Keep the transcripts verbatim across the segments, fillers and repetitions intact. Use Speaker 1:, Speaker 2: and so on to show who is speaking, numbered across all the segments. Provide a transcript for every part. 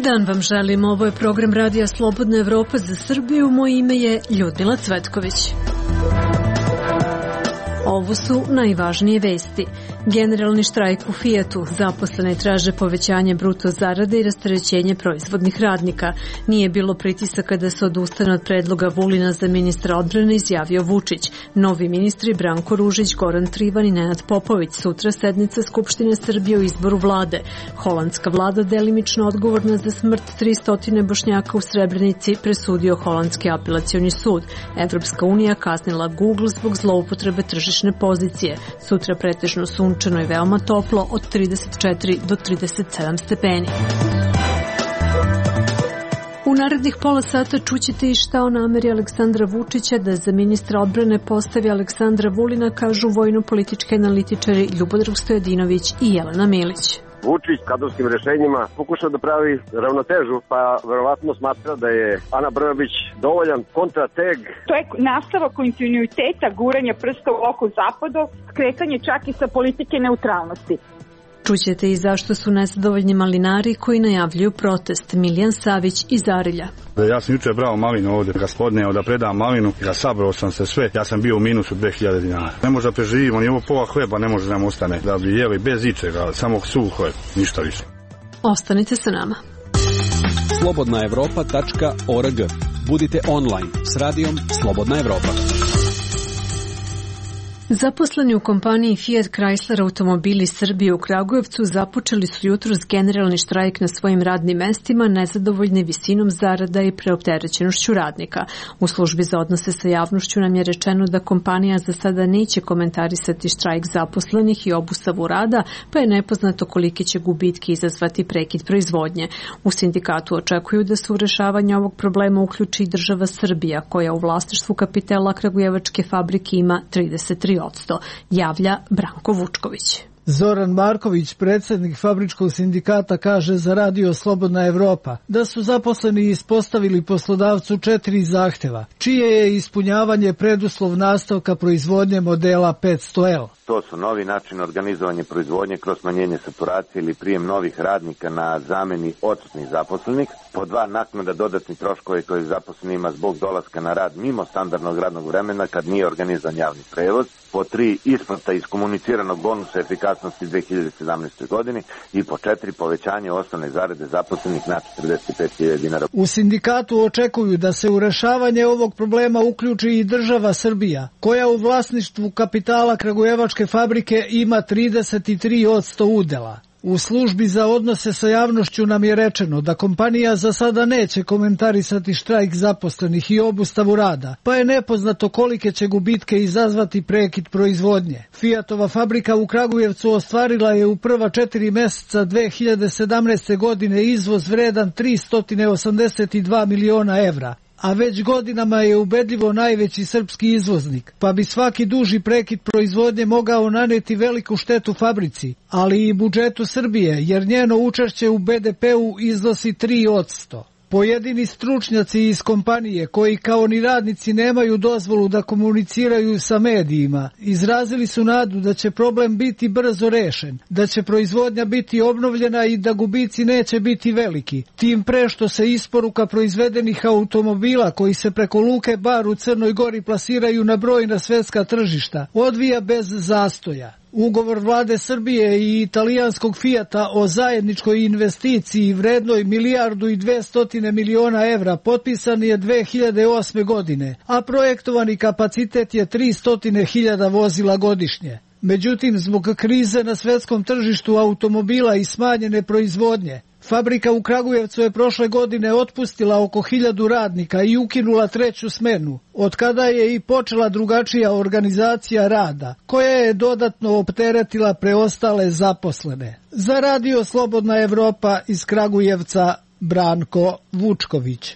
Speaker 1: dan vam želim, ovo je program Radija Slobodna Evropa za Srbiju, moje ime je Ljudmila Cvetković. Ovo su najvažnije vesti. Generalni štrajk u Fijatu, zaposleni traže povećanje bruto zarade i rasterećenje proizvodnih radnika. Nije bilo pritisaka da se odustane od predloga Vulina za ministra odbrane, izjavio Vučić. Novi ministri Branko Ružić, Goran Trivan i Nenad Popović. Sutra sednica Skupštine Srbije o izboru vlade. Holandska vlada, delimično odgovorna za smrt tristo Bošnjaka u Srebrenici, presudio Holandski apelacioni sud. Evropska unija kaznila Google zbog zloupotrebe tržišne pozicije. Sutra pretežno sunčano i veoma toplo od trideset četiri do trideset sedam stepeni. U narednih pola sata čućete i šta o nameri Aleksandra Vučića da za ministra odbrane postavi Aleksandra Vulina, kažu vojno-politički analitičari Ljubodrag Stojadinović i Jelena Milić.
Speaker 2: Vučić kadrovskim rešenjima pokušao da pravi ravnotežu, pa verovatno smatra da je Ana Brnabić dovoljan kontrateg.
Speaker 3: To je nastavak kontinuiteta guranja prsta u oko zapadu, skretanje čak i sa politike neutralnosti.
Speaker 1: Čućete i zašto su nezadovoljni malinari koji najavljuju protest. Miljan Savić iz Arilja.
Speaker 4: Ja sam juče brao malinu ovdje, gospodine, da predam malinu, ja sabrao sam se sve, ja sam bio u minusu dve hiljade dinara. Ne može da preživimo, ni ovo pola hleba ne može da nam ostane, da bi jeli bez ičega, samo suh hleb, ništa više.
Speaker 1: Ostanite sa nama.
Speaker 5: slobodna evropa tačka org. Budite online s radijom Slobodna Evropa.
Speaker 1: Zaposleni u kompaniji Fiat Chrysler Automobili Srbije u Kragujevcu započeli su jutros generalni štrajk na svojim radnim mestima, nezadovoljni visinom zarada i preopterećenošću radnika. U službi za odnose sa javnošću nam je rečeno da kompanija za sada neće komentarisati štrajk zaposlenih i obustavu rada, pa je nepoznato kolike će gubitke izazvati prekid proizvodnje. U sindikatu očekuju da se u rešavanje ovog problema uključi i država Srbija, koja u vlasništvu kapitala kragujevačke fabrike ima trideset tri odsto, javlja Branko Vučković.
Speaker 6: Zoran Marković, predsjednik fabričkog sindikata, kaže za Radio Slobodna Evropa da su zaposleni ispostavili poslodavcu četiri zahteva, čije je ispunjavanje preduslov nastavka proizvodnje modela petsto L.
Speaker 7: To su novi način organizovanja proizvodnje kroz smanjenje saturacije ili prijem novih radnika na zameni odsutnih zaposlenih. Po dva, naknada dodatnih troškova koje zaposleni ima zbog dolaska na rad mimo standardnog radnog vremena kad nije organizovan javni prevoz. Po tri, isplata iskomuniciranog bonusa efikasnosti dve hiljade sedamnaestoj. godini. I po četiri, povećanje osnovne zarade zaposlenih na četrdeset pet hiljada dinara.
Speaker 6: U sindikatu očekuju da se u rešavanje ovog problema uključi i država Srbija, koja u vlasništvu kapitala kragujevačke fabrike ima trideset tri odsto udela. U službi za odnose sa javnošću nam je rečeno da kompanija za sada neće komentarisati štrajk zaposlenih i obustavu rada, pa je nepoznato kolike će gubitke izazvati prekid proizvodnje. Fiatova fabrika u Kragujevcu ostvarila je u prva četiri meseca dve hiljade sedamnaeste. godine izvoz vredan tristo osamdeset dva miliona evra, a već godinama je ubedljivo najveći srpski izvoznik, pa bi svaki duži prekid proizvodnje mogao naneti veliku štetu fabrici, ali i budžetu Srbije, jer njeno učešće u be de pe-u iznosi tri odsto. Pojedini stručnjaci iz kompanije, koji kao ni radnici nemaju dozvolu da komuniciraju sa medijima, izrazili su nadu da će problem biti brzo rešen, da će proizvodnja biti obnovljena i da gubici neće biti veliki. Tim pre što se isporuka proizvedenih automobila koji se preko Luke Bar u Crnoj Gori plasiraju na brojna svetska tržišta odvija bez zastoja. Ugovor vlade Srbije i italijanskog Fijata o zajedničkoj investiciji vrednoj milijardu i dvestotine miliona evra potpisan je dve hiljade osme. godine, a projektovani kapacitet je tristo hiljada vozila godišnje. Međutim, zbog krize na svetskom tržištu automobila i smanjene proizvodnje, fabrika u Kragujevcu je prošle godine otpustila oko hiljadu radnika i ukinula treću smenu, od kada je i počela drugačija organizacija rada, koja je dodatno opteretila preostale zaposlene. Za Radio Slobodna Evropa iz Kragujevca, Branko Vučković.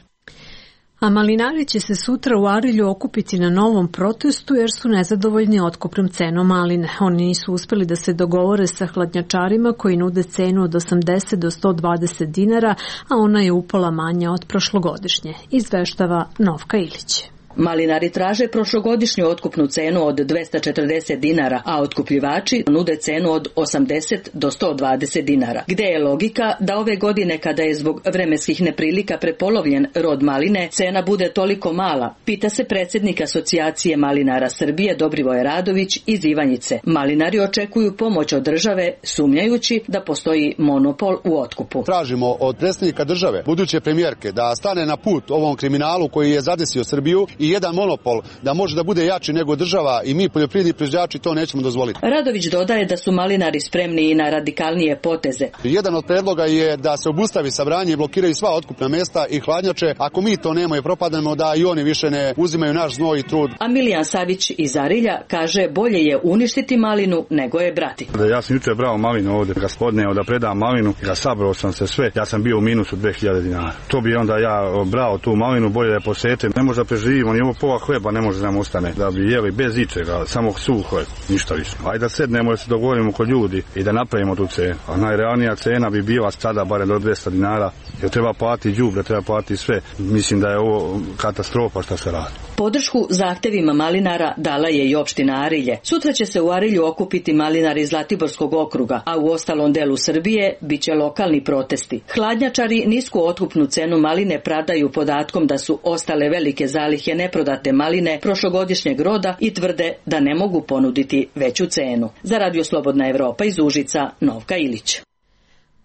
Speaker 1: A malinari će se sutra u Arilju okupiti na novom protestu jer su nezadovoljni otkupnom cenom maline. Oni nisu uspeli da se dogovore sa hladnjačarima koji nude cenu od osamdeset do sto dvadeset dinara, a ona je upola manja od prošlogodišnje, izveštava Novka Ilić.
Speaker 8: Malinari traže prošlogodišnju otkupnu cenu od dvesta četrdeset dinara, a otkupljivači nude cenu od osamdeset do sto dvadeset dinara. Gde je logika da ove godine, kada je zbog vremenskih neprilika prepolovljen rod maline, cena bude toliko mala, pita se predsjednik Asocijacije malinara Srbije Dobrivoje Radović iz Ivanjice. Malinari očekuju pomoć od države, sumnjajući da postoji monopol u otkupu.
Speaker 9: Tražimo od predsjednika države, buduće premijerke, da stane na put ovom kriminalu koji je zadesio Srbiju i jedan monopol da može da bude jači nego država i mi poljoprivredni proizvođači to nećemo dozvoliti.
Speaker 8: Radović dodaje da su malinari spremni i na radikalnije poteze.
Speaker 9: Jedan od predloga je da se obustavi sabranje i blokiraju sva otkupna mesta i hladnjače. Ako mi to nemamo i propadamo, da i oni više ne uzimaju naš znoj i trud.
Speaker 8: A Milijan Savić iz Arilja kaže bolje je uništiti malinu nego je brati.
Speaker 4: Ja sam jučer brao malinu ovdje, gospodine, da predam malinu, ja sabrao sam se sve, ja sam bio u minusu dve hiljade dinara. To bi onda ja brao tu malinu, bolje da posečem. Ne može da preživimo, ni ovo pola hleba ne može da nam ostane, da bi jeli bez ičega, samo suh hleb, ništa više. Ajde da sednemo da se dogovorimo kod ljudi i da napravimo tu cenu. A najrealnija cena bi bila sada barem do dvesta dinara, jer treba platiti đubre, treba platiti sve. Mislim da je ovo katastrofa šta se radi.
Speaker 8: Podršku zahtevima malinara dala je i opština Arilje. Sutra će se u Arilju okupiti malinari iz Zlatiborskog okruga, a u ostalom delu Srbije biće lokalni protesti. Hladnjačari nisku otkupnu cenu maline prodaju podatkom da su ostale velike zalihe neprodate maline prošlogodišnjeg roda i tvrde da ne mogu ponuditi veću cenu. Za Radio Slobodna Evropa iz Užica, Novka Ilić.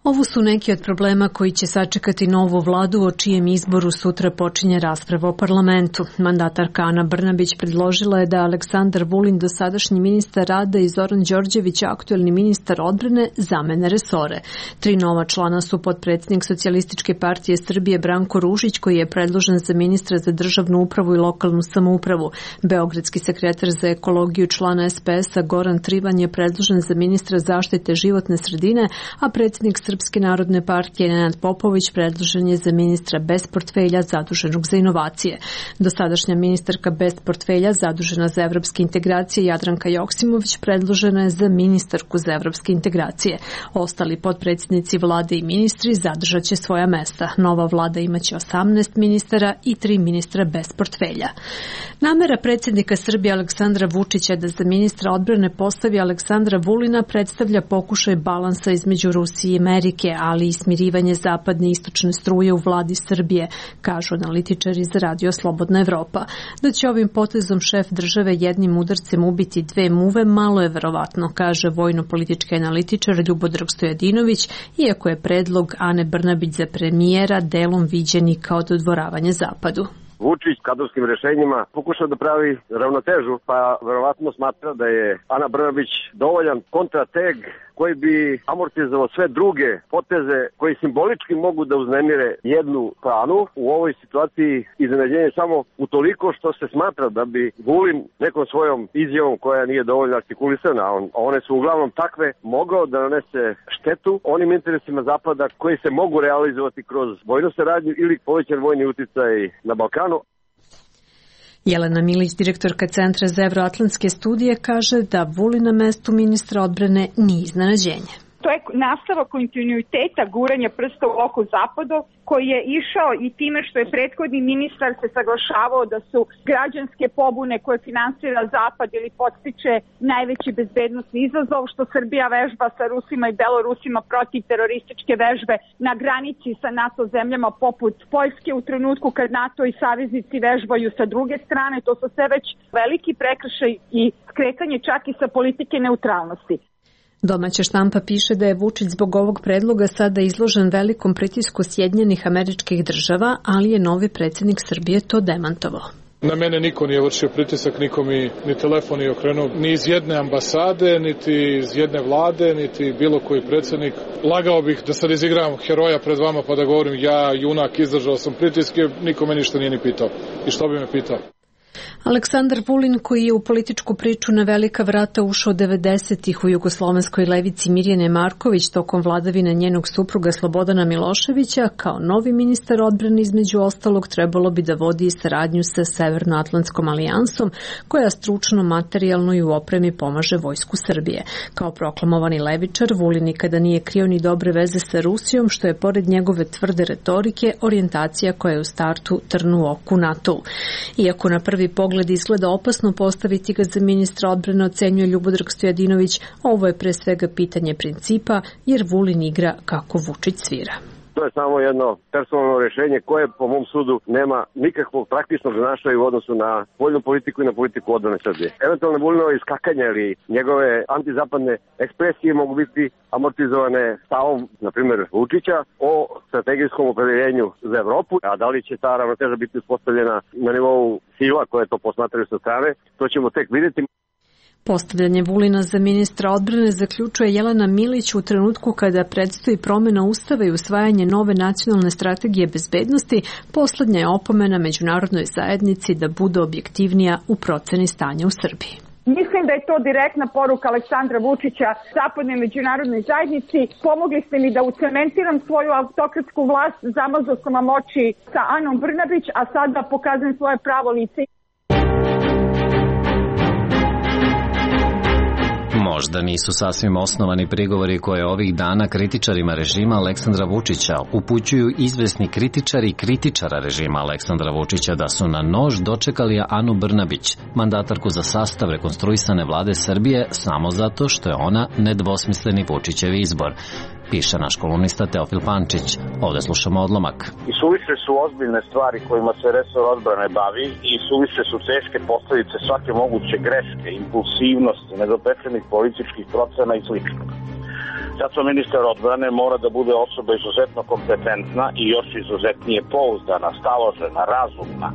Speaker 1: Ovo su neki od problema koji će sačekati novu vladu, o čijem izboru sutra počinje rasprava o parlamentu. Mandatarka Ana Brnabić predložila je da Aleksandar Vulin, dosadašnji ministar rada, i Zoran Đorđević, aktuelni ministar odbrane, zamene resore. Tri nova člana su potpredsjednik Socijalističke partije Srbije Branko Ružić, koji je predložen za ministra za državnu upravu i lokalnu samoupravu. Beogradski sekretar za ekologiju, člana S P S-a Goran Trivan, je predložen za ministra zaštite životne sredine, a predsjednik Srpske narodne partije Nenad Popović predložen je za ministra bez portfelja zaduženog za inovacije. Dosadašnja ministarka bez portfelja zadužena za evropske integracije Jadranka Joksimović predložena je za ministarku za evropske integracije. Ostali potpredsjednici vlade i ministri zadržat će svoja mesta. Nova vlada imaće osamnaest ministara i tri ministra bez portfelja. Namera predsjednika Srbije Aleksandra Vučića da za ministra odbrane postavi Aleksandra Vulina predstavlja pokušaj balansa između Rusije i Amerike, ali i smirivanje zapadne i istočne struje u vladi Srbije, kažu analitičari za Radio Slobodna Evropa. Da će ovim potezom šef države jednim udarcem ubiti dve muve, malo je verovatno, kaže vojno-politički analitičar Ljubodrag Stojadinović, iako je predlog Ane Brnabić za premijera delom viđen i kao dodvoravanje zapadu.
Speaker 2: Vučić kadrovskim rešenjima pokušao da pravi ravnotežu, pa verovatno smatra da je Ana Brnabić dovoljan kontrateg koji bi amortizovao sve druge poteze koji simbolički mogu da uznemire jednu stranu. U ovoj situaciji iznenađenje samo utoliko što se smatra da bi Vulin nekom svojom izjavom koja nije dovoljno artikulisana, a one su uglavnom takve, mogao da nanese štetu onim interesima Zapada koji se mogu realizovati kroz vojnu saradnju ili povećan vojni uticaj na Balkanu.
Speaker 1: Jelena Milić, direktorka Centra za evroatlantske studije, kaže da Vulin na mestu ministra odbrane nije iznenađenje.
Speaker 3: To je nastava kontinuiteta guranja prsta u oko zapadu, koji je išao i time što je prethodni ministar se saglašavao da su građanske pobune koje finansira Zapad ili podstiče najveći bezbednosni izazov, što Srbija vežba sa Rusima i Belorusima protiv terorističke vežbe na granici sa NATO zemljama poput Poljske u trenutku kad NATO i saveznici vežbaju sa druge strane. To su sve već veliki prekršaj i skretanje čak i sa politike neutralnosti.
Speaker 1: Domaća štampa piše da je Vučić zbog ovog predloga sada izložen velikom pritisku Sjedinjenih Američkih Država, ali je novi predsjednik Srbije to demantovao.
Speaker 10: Na mene niko nije vršio pritisak, niko mi ni telefon nije okrenuo, ni iz jedne ambasade, niti iz jedne vlade, niti bilo koji predsjednik. Lagao bih da sad izigram heroja pred vama pa da govorim ja, junak, izdržao sam pritiske, niko me ništa nije ni pitao. I što bi me pitao?
Speaker 1: Aleksandar Vulin, koji je u političku priču na velika vrata ušao devedesetih u jugoslovenskoj levici Mirjane Marković tokom vladavine njenog supruga Slobodana Miloševića, kao novi ministar odbrane između ostalog trebalo bi da vodi saradnju sa Severnoatlantskom alijansom, koja stručno, materijalno i u opremi pomaže vojsku Srbije. Kao proklamovani levičar, Vulin nikada nije krio ni dobre veze sa Rusijom, što je pored njegove tvrde retorike orijentacija koja je u startu trn u oku NATO-u. Iako na prvi pogled izgleda opasno postaviti ga za ministra odbrane, ocenjuje Ljubodrag Stojadinović, ovo je pre svega pitanje principa, jer Vulin igra kako Vučić svira.
Speaker 2: To je samo jedno personalno rješenje koje po mom sudu nema nikakvog praktičnog značaja u odnosu na spoljnu politiku i na politiku odbrane Srbije. Eventualno Vulinova iskakanja ili njegove antizapadne ekspresije mogu biti amortizovane stavom, na primjer, Vučića o strategijskom opredeljenju za Evropu, a da li će ta ravnoteža biti uspostavljena na nivou sila koje to posmatraju sa strane, to ćemo tek vidjeti.
Speaker 1: Postavljanje Vulina za ministra odbrane zaključuje Jelena Milić u trenutku kada predstoji promjena ustava i usvajanje nove nacionalne strategije bezbednosti. Poslednja je opomena međunarodnoj zajednici da bude objektivnija u proceni stanja u Srbiji.
Speaker 3: Mislim da je to direktna poruka Aleksandra Vučića zapadnoj međunarodnoj zajednici. Pomogli ste mi da ucementiram svoju autokratsku vlast, zamazao sam vam oči sa Anom Brnabić, a sada pokazujem svoje pravo lice.
Speaker 11: Možda nisu sasvim osnovani prigovori koje ovih dana kritičarima režima Aleksandra Vučića upućuju izvesni kritičari kritičara režima Aleksandra Vučića da su na nož dočekali Anu Brnabić, mandatarku za sastav rekonstruisane vlade Srbije, samo zato što je ona nedvosmisleni Vučićev izbor, piše naš kolumnista Teofil Pančić. Ovde slušamo odlomak.
Speaker 12: I suviše su ozbiljne stvari kojima se resor odbrane bavi i suviše su teške posledice svake moguće greške, impulsivnosti, nedopečenih političkih procena i slično. Zato ministar odbrane mora da bude osoba izuzetno kompetentna i još izuzetnije pouzdana, staložena, razumna,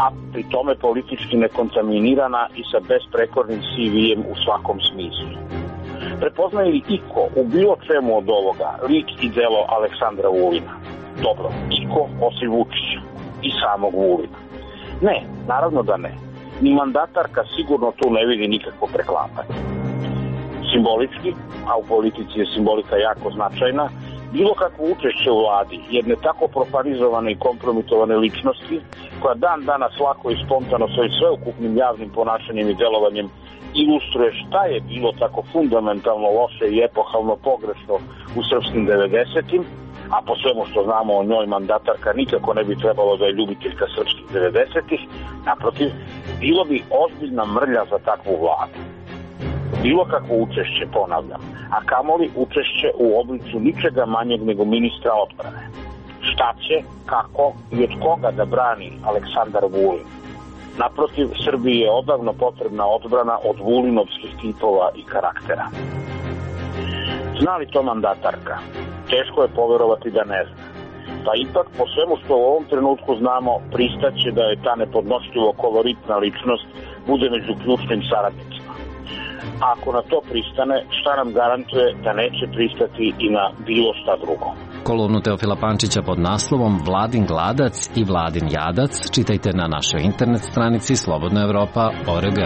Speaker 12: a pri tome politički nekontaminirana i sa besprekornim C V-em u svakom smislu. Prepoznaje li iko u bilo čemu od ovoga lik i delo Aleksandra Vulina? Dobro, iko osim Vučića i samog Vulina? Ne, naravno da ne. Ni mandatarka sigurno tu ne vidi nikakvo preklapanje. Simbolički, a u politici je simbolika jako značajna, bilo kakvo učešće u vladi jedne tako profanizovane i kompromitovane ličnosti, koja dan danas lako i spontano svojim sveukupnim javnim ponašanjem i delovanjem ilustruje šta je bilo tako fundamentalno loše i epohalno pogrešno u srpskim devedesetim, a po svemu što znamo o njoj mandatarka nikako ne bi trebalo da je ljubiteljka srpskih devedesetih, naprotiv, bilo bi ozbiljna mrlja za takvu vladu. Bilo kakvo učešće, ponavljam, a kamoli učešće u obliku ničega manjeg nego ministra odbrane. Šta će, kako i od koga da brani Aleksandar Vulin? Naprotiv, Srbiji je odavno potrebna odbrana od vulinovskih tipova i karaktera. Zna li to mandatarka? Teško je poverovati da ne zna. Pa ipak, po svemu što u ovom trenutku znamo, pristaće da je ta nepodnošljivo koloritna ličnost bude među ključnim saradnicima. A ako na to pristane, šta nam garantuje da neće pristati i na bilo šta drugo?
Speaker 11: Kolumnu Teofila Pančića pod naslovom Vladin gladac i Vladin jadac čitajte na našoj internet stranici slobodna evropa tačka org.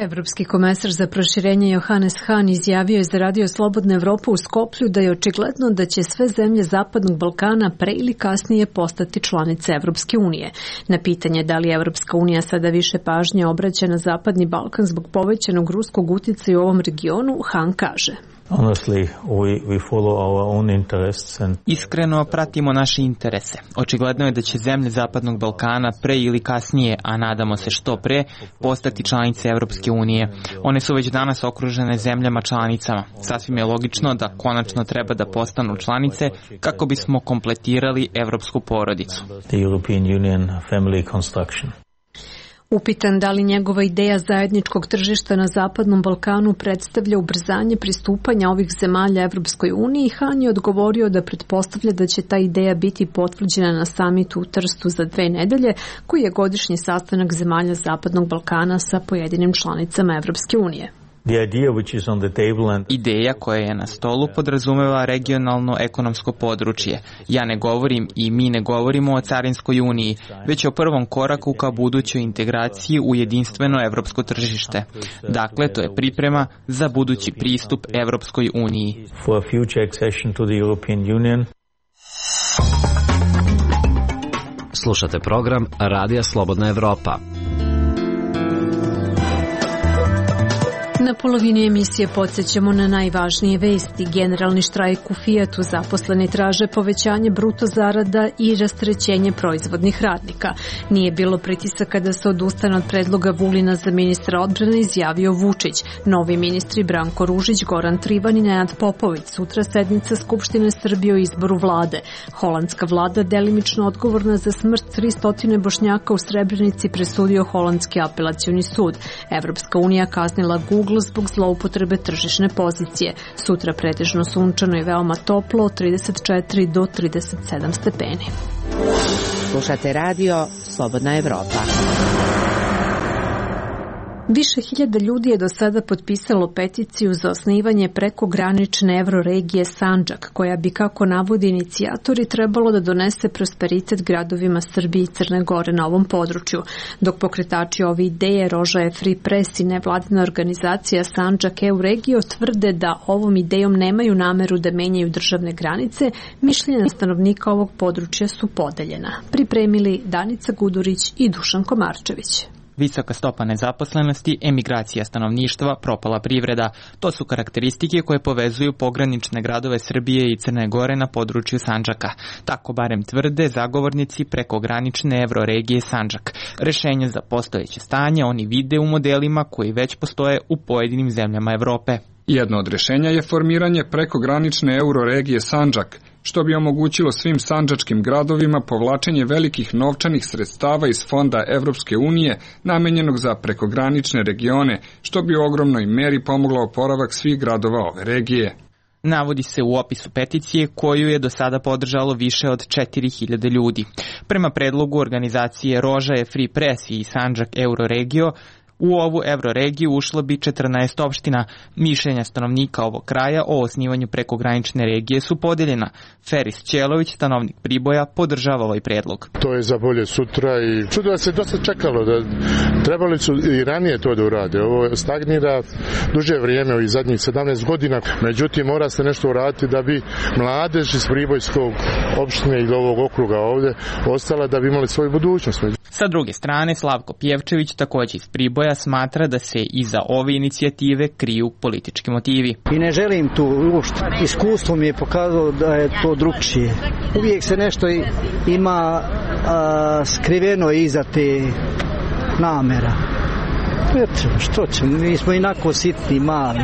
Speaker 1: Evropski komesar za proširenje Johannes Hahn izjavio je za Radio Slobodna Evropa u Skoplju da je očigledno da će sve zemlje Zapadnog Balkana pre ili kasnije postati članice Evropske unije. Na pitanje da li Evropska unija sada više pažnje obraća na Zapadni Balkan zbog povećanog ruskog uticaja u ovom regionu, Hahn kaže:
Speaker 13: Honestly, we, we follow our own interests and...
Speaker 14: Iskreno pratimo naše interese. Očigledno je da će zemlje Zapadnog Balkana pre ili kasnije, a nadamo se što pre, postati članice Evropske unije. One su već danas okružene zemljama članicama. Sasvim je logično da konačno treba da postanu članice kako bismo kompletirali evropsku porodicu.
Speaker 13: The European Union family construction.
Speaker 1: Upitan da li njegova ideja zajedničkog tržišta na Zapadnom Balkanu predstavlja ubrzanje pristupanja ovih zemalja Evropskoj uniji, Hahn je odgovorio da pretpostavlja da će ta ideja biti potvrđena na samitu u Trstu za dve nedelje, koji je godišnji sastanak zemalja Zapadnog Balkana sa pojedinim članicama Evropske unije.
Speaker 14: Ideja koja je na stolu podrazumeva regionalno ekonomsko područje. Ja ne govorim i mi ne govorimo o carinskoj uniji, već o prvom koraku ka budućoj integraciji u jedinstveno evropsko tržište. Dakle, to je priprema za budući pristup Evropskoj uniji.
Speaker 11: Slušate program Radija Slobodna Evropa.
Speaker 1: Na polovini emisije podsjećamo na najvažnije vesti. Generalni štrajk u Fijatu, zaposleni traže povećanje bruto zarada i rasterećenje proizvodnih radnika. Nije bilo pritisaka da se odustane od predloga Vulina za ministra odbrane, izjavio Vučić. Novi ministri Branko Ružić, Goran Trivan i Nenad Popović. Sutra sednica Skupštine Srbije o izboru vlade. Holandska vlada, delimično odgovorna za smrt tristo Bošnjaka u Srebrenici, presudio Holandski apelacioni sud. Evropska unija kaznila Google zbog zloupotrebe tržišne pozicije. Sutra pretežno sunčano i veoma toplo od trideset četiri do trideset sedam stepeni.
Speaker 15: Slušate radio Slobodna Evropa.
Speaker 1: Više hiljada ljudi je do sada potpisalo peticiju za osnivanje prekogranične evroregije Sandžak, koja bi, kako navodi inicijatori, trebalo da donese prosperitet gradovima Srbije i Crne Gore na ovom području. Dok pokretači ove ideje Rožaje Free Press i nevladina organizacija Sandžak E U Regio tvrde da ovom idejom nemaju nameru da menjaju državne granice, mišljenja stanovnika ovog područja su podeljena. Pripremili Danica Gudurić i Dušan Komarčević.
Speaker 14: Visoka stopa nezaposlenosti, emigracija stanovništva, propala privreda. To su karakteristike koje povezuju pogranične gradove Srbije i Crne Gore na području Sandžaka. Tako barem tvrde zagovornici prekogranične evroregije Sandžak. Rešenje za postojeće stanje oni vide u modelima koji već postoje u pojedinim zemljama Evrope.
Speaker 16: Jedno od rešenja je formiranje prekogranične euroregije Sandžak, što bi omogućilo svim sandžačkim gradovima povlačenje velikih novčanih sredstava iz fonda Evropske unije namenjenog za prekogranične regione, što bi u ogromnoj meri pomoglo oporavak svih gradova ove regije.
Speaker 14: Navodi se u opisu peticije koju je do sada podržalo više od četiri hiljade ljudi. Prema predlogu organizacije Rožaje Free Press i Sandžak Euroregio, u ovu evroregiju ušlo bi četrnaest opština. Mišljenja stanovnika ovog kraja o osnivanju prekogranične regije su podeljena. Feris Ćelović, stanovnik Priboja, podržava ovaj predlog.
Speaker 17: To je za bolje sutra i čudo da se dosta čekalo, da trebali su i ranije to da urade. Ovo stagnira duže vrijeme, ovih zadnjih sedamnaest godina, međutim mora se nešto uraditi da bi mladež iz Pribojskog opštine i ovog okruga ovde ostala da bi imali svoju budućnost.
Speaker 14: Sa druge strane, Slavko Pjevčević, također iz Priboja, smatra da se iza ove inicijative kriju politički motivi.
Speaker 18: I ne želim tu uopšte. Iskustvo mi je pokazalo da je to drugčije. Uvijek se nešto ima a, skriveno iza te namera. Eto, što ćemo, mi smo inako sitni, mali.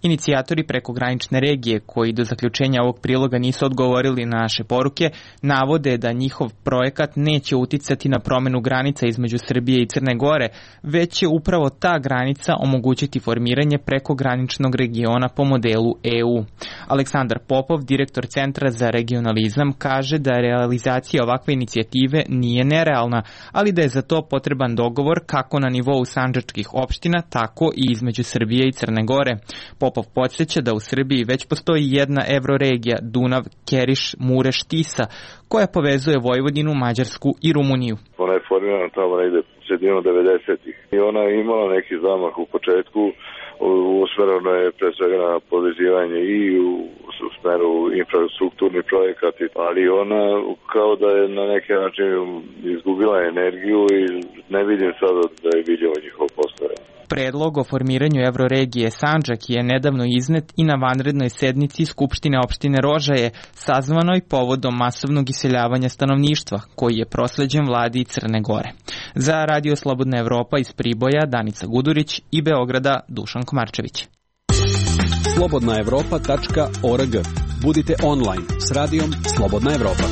Speaker 14: Inicijatori prekogranične regije, koji do zaključenja ovog priloga nisu odgovorili na naše poruke, navode da njihov projekat neće uticati na promenu granica između Srbije i Crne Gore, već će upravo ta granica omogućiti formiranje prekograničnog regiona po modelu E U. Aleksandar Popov, direktor Centra za regionalizam, kaže da realizacija ovakve inicijative nije nerealna, ali da je za to potreban dogovor kako na nivou sandžačkih opština, tako i između Srbije i Crne Gore. Popov podsjeća da u Srbiji već postoji jedna evroregija Dunav, Keriš, Mureš, Tisa, koja povezuje Vojvodinu, Mađarsku i Rumuniju.
Speaker 19: Ona je formirana tamo negde sredinu devedesetih i ona je imala neki zamah u početku, usmereno je pre svega na povezivanje i u, u smeru infrastrukturni projekati, ali ona kao da je na neki način izgubila energiju i ne vidim sada da je vidljivo njihovo postojanje.
Speaker 14: Predlog o formiranju evroregije Sandžak je nedavno iznet i na vanrednoj sednici Skupštine opštine Rožaje, sazvanoj povodom masovnog iseljavanja stanovništva, koji je prosleđen vladi Crne Gore. Za Radio Slobodna Evropa iz Priboja, Danica Gudurić i Beograda, Dušan Komarčević.
Speaker 5: slobodna evropa tačka org. Budite online s radijom Slobodna Evropa.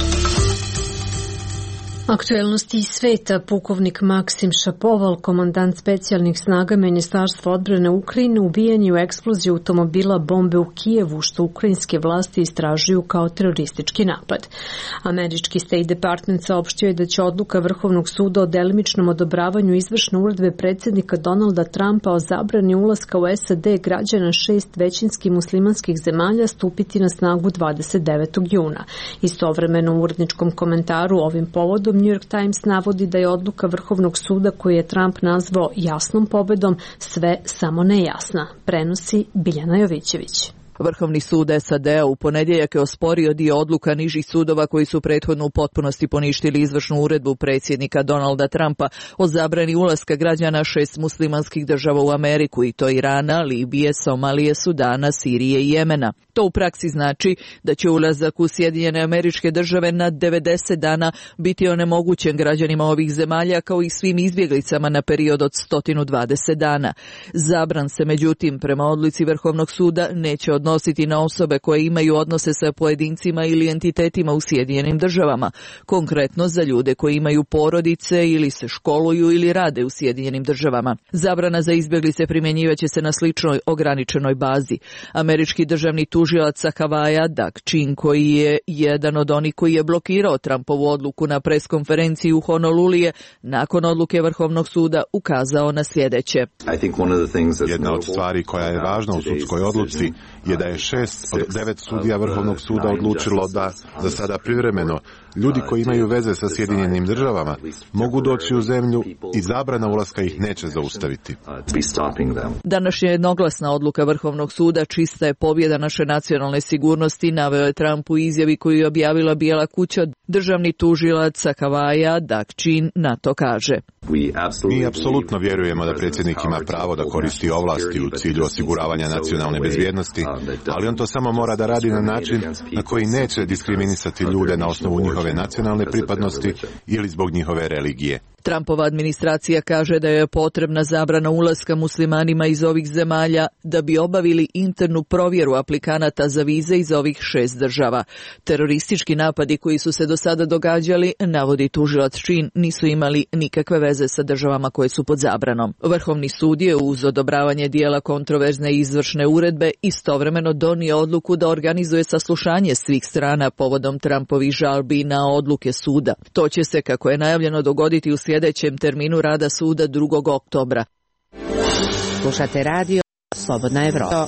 Speaker 1: Aktuelnosti iz sveta. Pukovnik Maksim Šapoval, komandant specijalnih snaga Ministarstva odbrane Ukrajine, ubijen je u eksploziji automobila bombe u Kijevu, što ukrajinske vlasti istražuju kao teroristički napad. Američki State Department saopštio je da će odluka Vrhovnog suda o delimičnom odobravanju izvršne uredbe predsjednika Donalda Trumpa o zabrani ulaska u S A D građana šest većinski muslimanskih zemalja stupiti na snagu dvadeset devetog juna. Istovremeno u uredničkom komentaru ovim povodom New York Times navodi da je odluka Vrhovnog suda koju je Trump nazvao jasnom pobedom sve samo nejasna. Prenosi Biljana Jovićević.
Speaker 20: Vrhovni sud S A D-a u ponedjeljak je osporio dio odluka nižih sudova koji su prethodno u potpunosti poništili izvršnu uredbu predsjednika Donalda Trumpa o zabrani ulaska građana šest muslimanskih država u Ameriku, i to Irana, Libije, Somalije, Sudana, Sirije i Jemena. To u praksi znači da će ulazak u Sjedinjene Američke Države na devedeset dana biti onemogućen građanima ovih zemalja kao i svim izbjeglicama na period od sto dvadeset dana. Zabran se međutim prema odluci Vrhovnog suda neće odnositi na osobe koje imaju odnose sa pojedincima ili entitetima u Sjedinjenim Državama, konkretno za ljude koji imaju porodice ili se školuju ili rade u Sjedinjenim Državama. Zabrana za izbjeglice primjenjivaće se na sličnoj ograničenoj bazi. Američki državni tužilac sa Havaja, Doug Chin, koji je jedan od onih koji je blokirao Trumpovu odluku na preskonferenciji u Honolulu, je nakon odluke Vrhovnog suda ukazao na sljedeće.
Speaker 21: Jedna od stvari koja je važna u sudskoj odluci je da je šest od devet sudija Vrhovnog suda odlučilo da za sada privremeno ljudi koji imaju veze sa Sjedinjenim Državama mogu doći u zemlju i zabrana ulaska ih neće zaustaviti.
Speaker 20: Današnja jednoglasna odluka Vrhovnog suda čista je pobjeda naše nacionalne sigurnosti, naveo je Trump u izjavi koju je objavila Bijela kuća. Državni tužilac sa Havaja, Doug Chin, na to kaže.
Speaker 21: Mi apsolutno vjerujemo da predsjednik ima pravo da koristi ovlasti u cilju osiguravanja nacionalne bezbjednosti, ali on to samo mora da radi na način na koji neće diskriminisati ljude na osnovu njihove nacionalne pripadnosti ili zbog njihove religije.
Speaker 20: Trumpova administracija kaže da je potrebna zabrana ulaska muslimanima iz ovih zemalja da bi obavili internu provjeru aplikanata za vize iz ovih šest država. Teroristički napadi koji su se do sada događali, navodi tužilac Chin, nisu imali nikakve veze sa državama koje su pod zabranom. Vrhovni sud je uz odobravanje dijela kontroverzne izvršne uredbe istovremeno donio odluku da organizuje saslušanje svih strana povodom Trumpovih žalbi na odluke suda. To će se, kako je najavljeno, dogoditi u sljedećem terminu rada suda drugog oktobra.
Speaker 15: Slušate radio Slobodna Evropa.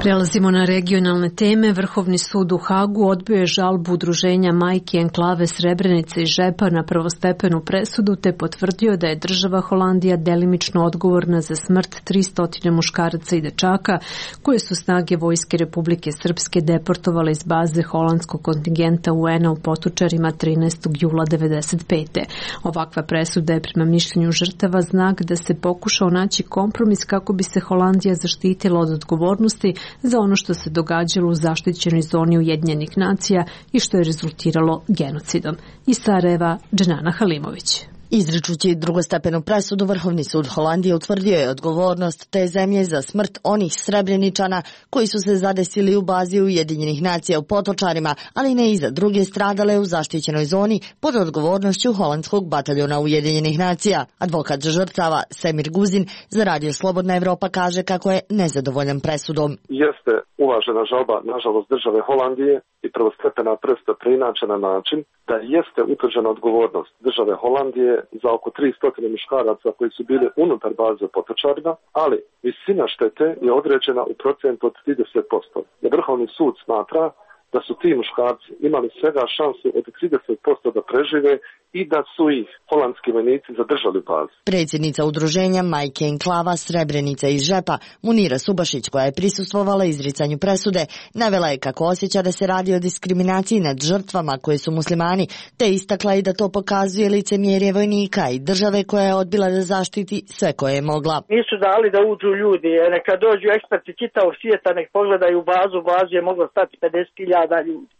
Speaker 1: Prelazimo na regionalne teme. Vrhovni sud u Hagu odbio je žalbu udruženja Majke Enklave Srebrenice i Žepa na prvostepenu presudu te potvrdio da je država Holandija delimično odgovorna za smrt tristo muškaraca i dečaka koje su snage Vojske Republike Srpske deportovale iz baze holandskog kontingenta U N-a u Potočarima trinaestog jula devedeset pete. Ovakva presuda je prema mišljenju žrtava znak da se pokušao naći kompromis kako bi se Holandija zaštitila od odgovornosti za ono što se događalo u zaštićenoj zoni Ujedinjenih nacija i što je rezultiralo genocidom. Iz Sarajeva, Dženana Halimović.
Speaker 22: Izričući drugostepenu presudu, Vrhovni sud Holandije utvrdio je odgovornost te zemlje za smrt onih Srebreničana koji su se zadesili u bazi Ujedinjenih nacija u Potočarima, ali ne i za druge stradale u zaštićenoj zoni pod odgovornošću holandskog bataljona Ujedinjenih nacija. Advokat žrtava Semir Guzin za Radio Slobodna Evropa kaže kako je nezadovoljan presudom.
Speaker 23: Jeste uvažena žalba, nažalost, države Holandije i prvostepena presuda preinačena na način da jeste utvrđena odgovornost države Holandije za oko tristo muškaraca koji su bili unutar baze u Potočarima, ali visina štete je određena u procentu od trideset posto. Vrhovni sud smatra da su ti muškarci imali svega šansu od trideset posto da prežive i da su ih holandski vojnici zadržali u bazi.
Speaker 22: Predsjednica udruženja Majke Enklava Srebrenica iz Žepa, Munira Subašić, koja je prisustvovala izricanju presude, navela je kako osjeća da se radi o diskriminaciji nad žrtvama koje su muslimani, te istakla i da to pokazuje licemjerje vojnika i države koja je odbila da zaštiti sve koje je mogla.
Speaker 24: Nisu dali da uđu ljudi, neka dođu eksperti čitavog svijeta, nek pogledaju bazu, bazu je moglo stati pedeset hiljada ljudi.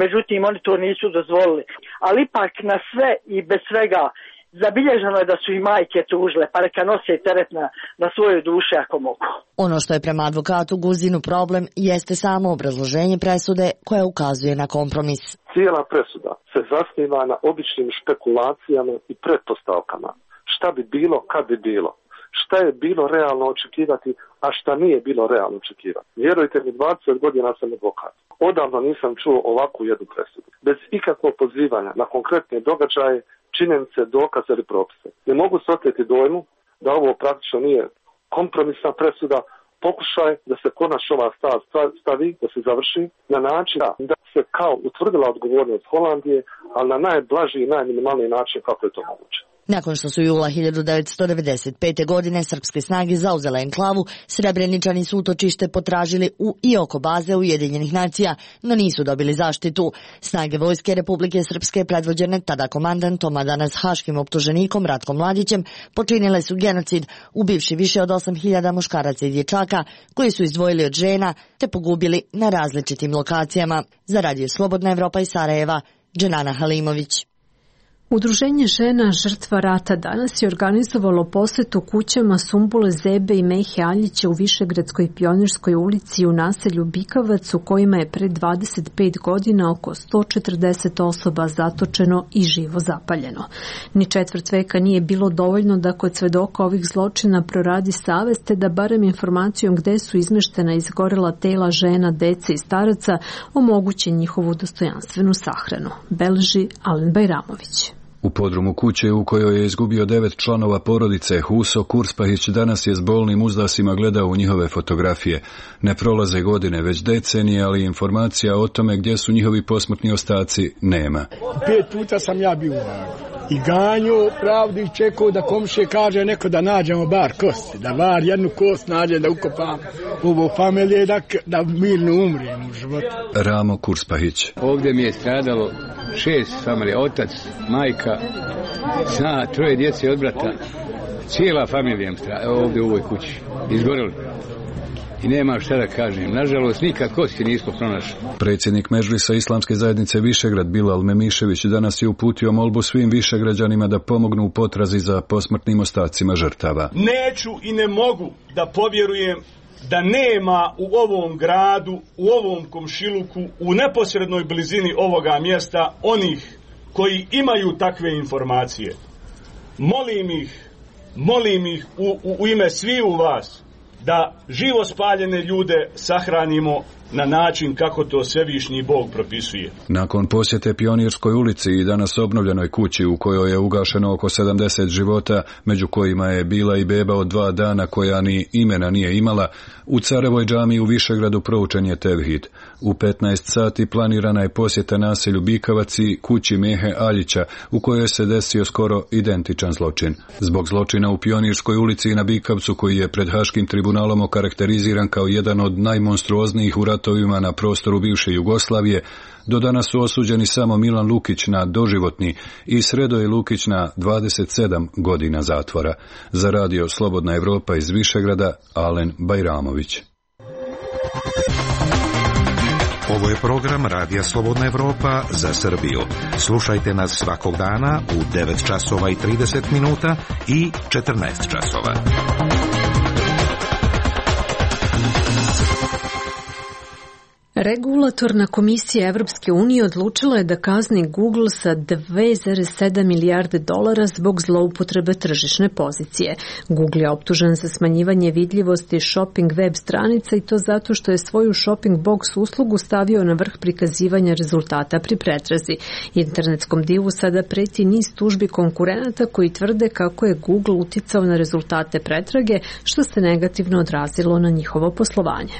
Speaker 24: Međutim, oni to nisu dozvolili. Ali ipak na sve i bez svega zabilježeno je da su i majke tužile, pa neka nose teret na, na svojoj duši ako mogu.
Speaker 22: Ono što je prema advokatu Guzinu problem jeste samo obrazloženje presude koja ukazuje na kompromis.
Speaker 23: Cijela presuda se zasniva na običnim špekulacijama i pretpostavkama. Šta bi bilo, kad bi bilo. Šta je bilo realno očekivati, a šta nije bilo realno očekivati. Vjerujte mi, dvadeset godina sam advokat. Odavno nisam čuo ovakvu jednu presudu. Bez ikakvog pozivanja na konkretne događaje, činjenice, dokaze ili propise. Ne mogu se oteti dojmu da ovo praktično nije kompromisna presuda, pokušaj da se konačno ova stvar stavi, da se završi na način da se kao utvrdila odgovornost Holandije, ali na najblaži i najminimalniji način kako je to moguće.
Speaker 22: Nakon što su jula hiljadu devetsto devedeset pete. godine srpske snage zauzele enklavu, Srebreničani su utočište potražili u i oko baze Ujedinjenih nacija, no nisu dobili zaštitu. Snage Vojske Republike Srpske, predvođene tada komandantom, a danas haškim optuženikom Ratkom Mladićem, počinile su genocid, ubivši više od osam hiljada muškaraca i dječaka, koji su izdvojili od žena, te pogubili na različitim lokacijama. Za Radio Slobodna Evropa iz Sarajeva, Dženana Halimović.
Speaker 1: Udruženje žena žrtva rata danas je organizovalo posetu kućama Sumbule Zebe i Mehe Aljića u Višegradskoj Pionirskoj ulici u naselju Bikavac, u kojima je pre dvadeset pet godina oko sto četrdeset osoba zatočeno i živo zapaljeno. Ni četvrt veka nije bilo dovoljno da kod svedoka ovih zločina proradi savest, te da barem informacijom gde su izmeštena izgorela tela žena, dece i staraca omoguće njihovu dostojanstvenu sahranu, beleži Alen Bajramović.
Speaker 4: U podrumu kuće u kojoj je izgubio devet članova porodice, Huso Kurspahić danas je s bolnim uzdasima gledao u njihove fotografije. Ne prolaze godine, već decenije, ali informacija o tome gdje su njihovi posmrtni ostaci nema.
Speaker 6: Pet puta sam ja bio i ganju pravdu i čekao da komšije kaže neko da nađemo bar kosti, da bar jednu kost nađe da ukopam ovo familije, da, da mirno umrijem u životu.
Speaker 4: Ramo Kurspahić.
Speaker 7: Ovdje mi je stradalo šest familija, otac, majka, sna, troje djece od brata. Cijela familija mi stradala ovdje u ovoj kući. Izgorili. I nema šta da kažem. Nažalost, nikad kosti nismo pronašli.
Speaker 4: Predsjednik Medžlisa Islamske zajednice Višegrad Bilal Memišević danas je uputio molbu svim višegrađanima da pomognu u potrazi za posmrtnim ostacima žrtava.
Speaker 9: Neću i ne mogu da povjerujem da nema u ovom gradu, u ovom komšiluku, u neposrednoj blizini ovoga mjesta onih koji imaju takve informacije. Molim ih, molim ih u, u, u ime sviju vas da živo spaljene ljude sahranimo na način kako to Svevišnji Bog propisuje.
Speaker 4: Nakon posjete Pionirskoj ulici i danas obnovljenoj kući u kojoj je ugašeno oko sedamdeset života, među kojima je bila i beba od dva dana koja ni imena nije imala, u Carevoj džamiji u Višegradu proučen je tevhid. U petnaest sati planirana je posjeta naselju Bikavac i kući Mehe Aljića, u kojoj se desio skoro identičan zločin. Zbog zločina u Pionirskoj ulici i na Bikavcu, koji je pred Haškim tribunalom okarakteriziran kao jedan od najmonstruoznijih u ratovima na prostoru bivše Jugoslavije, do danas su osuđeni samo Milan Lukić na doživotni i Sredoje Lukić na dvadeset sedam godina zatvora. Za Radio Slobodna Evropa iz Višegrada, Alen Bajramović.
Speaker 25: Ovo je program Radija Slobodna Evropa za Srbiju. Slušajte nas svakog dana u devet časova i trideset minuta i četrnaest časova.
Speaker 1: Regulatorna komisija Evropske unije odlučila je da kazni Google sa dve zarez sedam milijarde dolara zbog zloupotrebe tržišne pozicije. Google je optužen za smanjivanje vidljivosti shopping web stranica i to zato što je svoju shopping box uslugu stavio na vrh prikazivanja rezultata pri pretrazi. Internetskom divu sada preti niz tužbi konkurenata koji tvrde kako je Google uticao na rezultate pretrage, što se negativno odrazilo na njihovo poslovanje.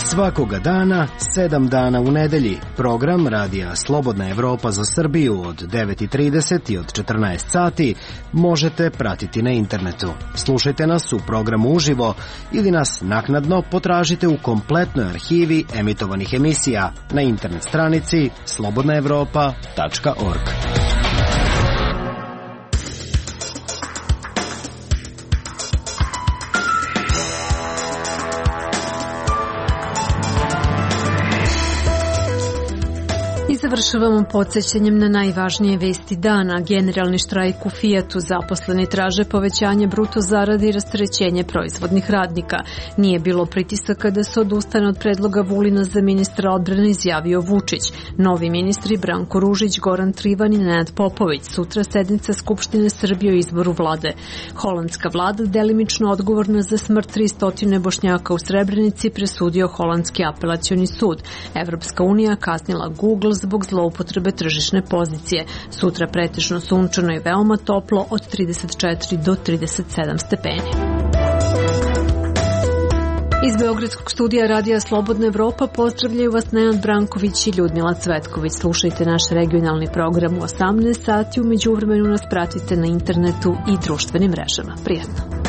Speaker 26: Svakoga dana, sedam dana u nedelji, program Radija Slobodna Evropa za Srbiju od devet i trideset i od četrnaest sati možete pratiti na internetu. Slušajte nas u programu uživo ili nas naknadno potražite u kompletnoj arhivi emitovanih emisija na internet stranici slobodna evropa tačka org.
Speaker 1: završavamo podsjećanjem na najvažnije vesti dana. Generalni štrajk u Fijatu, zaposleni traže povećanje bruto zarade i rasterećenje proizvodnih radnika. Nije bilo pritisaka da se odustane od predloga Vulina za ministra odbrane, izjavio Vučić. Novi ministri Branko Ružić, Goran Trivan i Nenad Popović. Sutra sednica Skupštine Srbije o izboru vlade. Holandska vlada, delimično odgovorna za smrt tristo Bošnjaka u Srebrenici, presudio Holandski apelacioni sud. Evropska unija kasnila Google zbog zloupotrebe tržišne pozicije. Sutra pretežno sunčano i veoma toplo od trideset četiri do trideset sedam stepeni. Iz Beogradskog studija Radija Slobodna Evropa pozdravljaju vas Nenad Branković i Ljudmila Cvetković. Slušajte naš regionalni program u osamnaest sati, u međuvremenu nas pratite na internetu i društvenim mrežama. Prijatno!